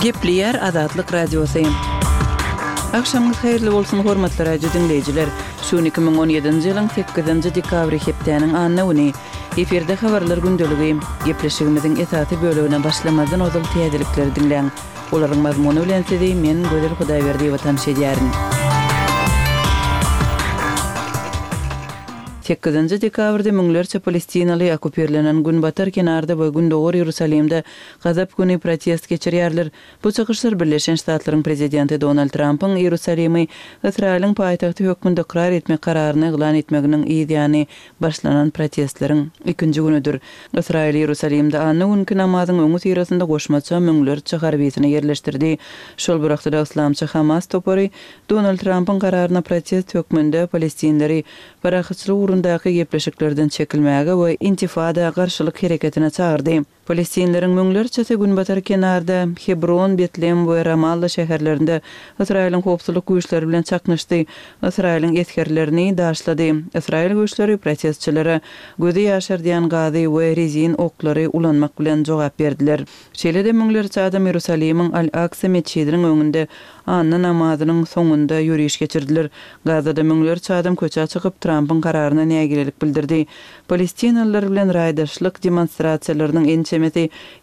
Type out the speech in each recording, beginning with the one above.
Gepleýär Azatlyk Radiosy. Agşamyňyz haýyrly bolsun, hormatly radio diňleýjiler! Şu gün 2017-nji ýylyň sekizinji dekabry hepdäniň anna güni. Efirde habarlar gündeligi. Gepleşigimiziň esasy bölegine başlamazdan ozal täzelikleri diňläň. Olaryň mazmuny bilen sizi men, Gözel Hudaýberdiýewa tanyş edýärin. Sekizinji dekabrda müňlerçe palestinaly okkupirlenen Günbatar kenarda we Gündogar Iýerusalimde Gazap güni protest geçirýärler. Bu çykyşlar Birleşen Ştatlaryň prezidenti Donald Trampyň Iýerusalimi Ysraýylyň paýtagty hökmünde ykrar etmek kararyny yglan etmeginiň yz ýany başlanan protestleriň ikinji günüdir. Ysraýyl Iýerusalimde anna günki namazyň öňüsyrasynda goşmaça müňlerçe harbisini ýerleşdirdi. Şol bir wagtda-da yslamçy Hamas topary Donald Trampyň kararyna protest hökmünde palestinleri parahatçylyk ugrundaky gepleşiklerden çekilmäge we intifada garşylyk hereketine çagyrdy. Palestinleriň müňlerçesi Günbatar kenarda, Hebron, Betlem we Ramalla şäherlerinde Ysraýylyň howpsuzlyk güýçleri bilen çaknyşdy, Ysraýylyň esgerlerini daşlady. Ysraýyl güýçleri protestçilere gözi ýaşardýan gazy we rezin oklary ulanmak bilen jogap berdiler. Şeýle-de müňlerçe adam Iýerusalimiň Al-Aksa metjidiniň öňünde anna namazynyň soňunda ýöriş geçirdiler. Gazada müňlerçe adam köçä çykyp, Trampyň kararyna nägilelik bildirdi. Palestinalylar bilen raýdaşlyk demonstrasiýalarynyň ençemesi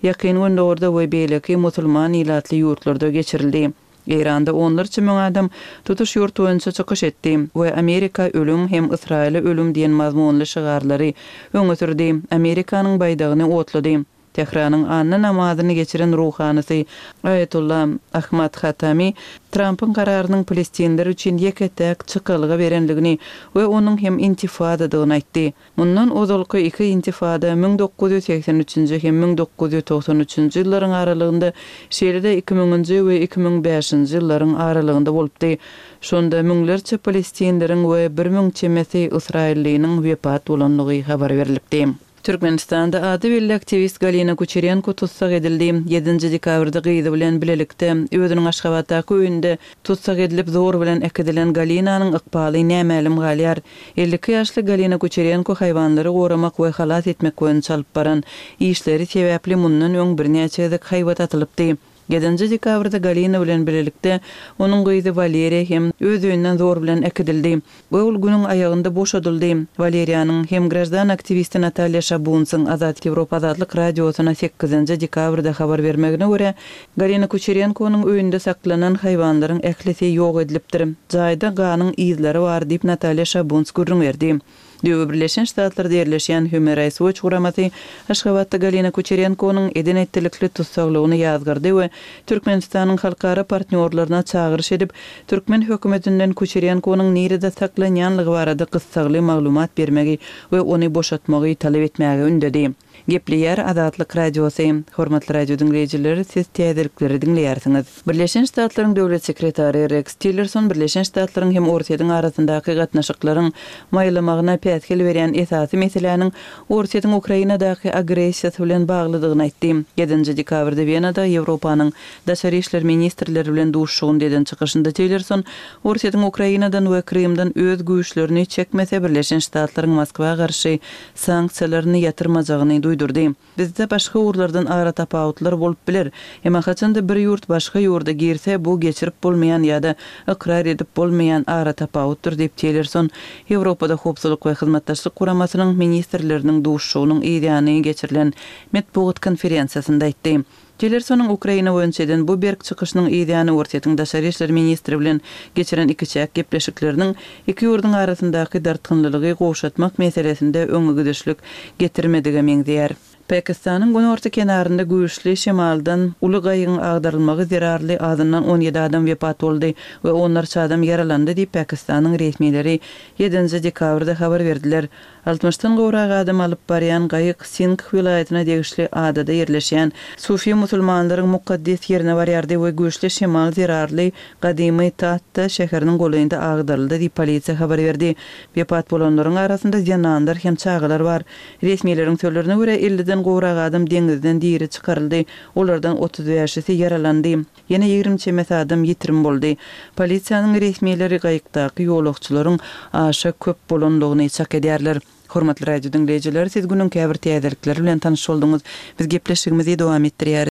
Ýakyn Gündogarda we beýleki musulman ilatly ýurtlarda geçirildi. Eýranda onlarça müň adam tutuş ýurt boýunça çykyş etdi we Amerika ölüm hem Ysraýyla ölüm diýen mazmunly şygarlary öňe sürdi, Amerikanyň baýdagyny otlady. Tähranyň anna namazyny geçiren ruhanysy Aýatolla Ahmad Hatami Trampyň kararynyň palestinler üçin ýeke-täk çykalga berendigini we onuň hem intifadadygyny aýtdy. Mundan ozalky iki intifada 1983-nji hem 1993-nji ýyllaryň aralygynda, şeýle-de iki müňünji we 2005-nji ýyllaryň aralygynda bolupdy. Şonda müňlerçe palestinleriň we 1000 çemesi ysraýyllynyň wepat bolandygy habar berlipdi. Türkmenistanda ady belli aktiwist Galina Kuçerenko tussag edildi. Ýedinji dekabrda gyzy bilen bilelikde özüniň Aşgabatdaky öýünde tussag edilip, zor bilen äkidilen Galinanyň ykbaly nämälim galýar. 52 ýaşly Galina Kuçerenko haýwanlary goramak we halas etmek boýunça alyp baran işleri sebäpli mundan öň birnäçe gezek haýbat atylypdy. Ýedinji dekabrda Galina bilen bilelikde onuň gyzy Waleriýa hem öz öýünden zor bilen äkidildi we ol günüň aýagynda boşadyldy. Waleriýanyň hem graždan aktiwisti Natalýa Şabunsyň Azat Ýewropa Azatlyk Radiosyna sekizinji dekabrda habar bermegine görä, Galina Kuçerenkonyň öýünde saklanan haýwanlaryň ählisi ýok edilipdir. Jaýda ganyň yzlary bar diýip, Natalýa Şabuns gürrüň berdi. Döwi Birleşen Ştatlarda ýerleşýän Human Rights Watch guramasy Aşgabatda Galina Kuçerenkonyň eden-etdilikli tussaglygyny ýazgardy we Türkmenistanyň halkara partnýorlaryna çagyryş edip, türkmen hökümetinden Kuçerenkonyň nirede saklanýanlygy barada gyssagly maglumat bermegi we ony boşatmagy talap etmäge ündedi. Gepleýär Azatlyk Radiosy. Hormatly radio diňleýjiler, siz täzelikleri diňleýärsiňiz. Birleşen Ştatlaryň Döwlet sekretary Reks Tillerson Birleşen Ştatlaryň hem Orsýetiň arasyndaky gatnaşyklaryň maýlamagyna päsgel berýän esasy meseläniň Orsýetiň Ukrainadaky agressiýasy bilen baglydygyny aýtdy. Ýedinji dekabrda Wenada Ýewropanyň daşary işler ministrleri bilen duşuşygynda eden çykyşynda Tillerson Orsýetiň Ukrainadan we Krymdan öz güýçlerini çekmese Birleşen Ştatlaryň Moskwa garşy sanksiýalaryny ýatyrmajagyny duýdurdy. Bizde başga ugurlardan aratapawutlar bolup biler. Emma haçanda bir ýurt başga ýurda girse, bu geçirip bolmaýan ýa-da ykrar edip bolmaýan aratapawutdyr diýip, Tillerson Ýewropada Howpsuzlyk we Hyzmatdaşlyk Guramasynyň ministrleriniň duşuşygynyň yzýany geçirilen metbugat konferensiýasynda aýtdy. Tillersonyň Ukraina boýunça eden bu berk çykyşynyň yzýany Orsýetiň daşary işler ministri bilen geçiren ikiçäk gepleşikleriniň iki ýurduň arasyndaky dartgynlylygy gowşatmak meselesinde öňegidişlik getirmedige meňzeýär. Pakistanyň günorta kenarynda güýçli şemaldan uly gaýygyň agdarylmagy zerarly azyndan 17 adam wepat boldy we onlarça adam ýaralandy diýip, Pakistanyň resmileri ýedinji dekabrda habar berdiler. Altmyşdan gowrak adam alyp barýan gaýyk Singh welaýatyna degişli adada ýerleşýän sufi musulmanlaryň mukaddes ýerine barýardy we güýçli şemal zerarly gadymy Tatta şäheriniň golaýynda agdaryldy diýip, polisiýa habar berdi. Wepat bolanlaryň arasynda zenanlar hem çagalar bar. Resmileriň sözlerine görä, elliden gowrak adam deňizden diri çykaryldy, olardan otuz bäşisi ýaralandy. Ýene 20 çemesi adam ýitirim boldy. Polisiýanyň resmileri gaýykdaky ýolagçylaryň aşa köp bolanlygyny çak edýärler. Hormatly radio diňleýjiler, siz günüň käbir täzelikleri bilen tanyş bolduňyz. Biz gepleşigimizi dowam etdirýäris.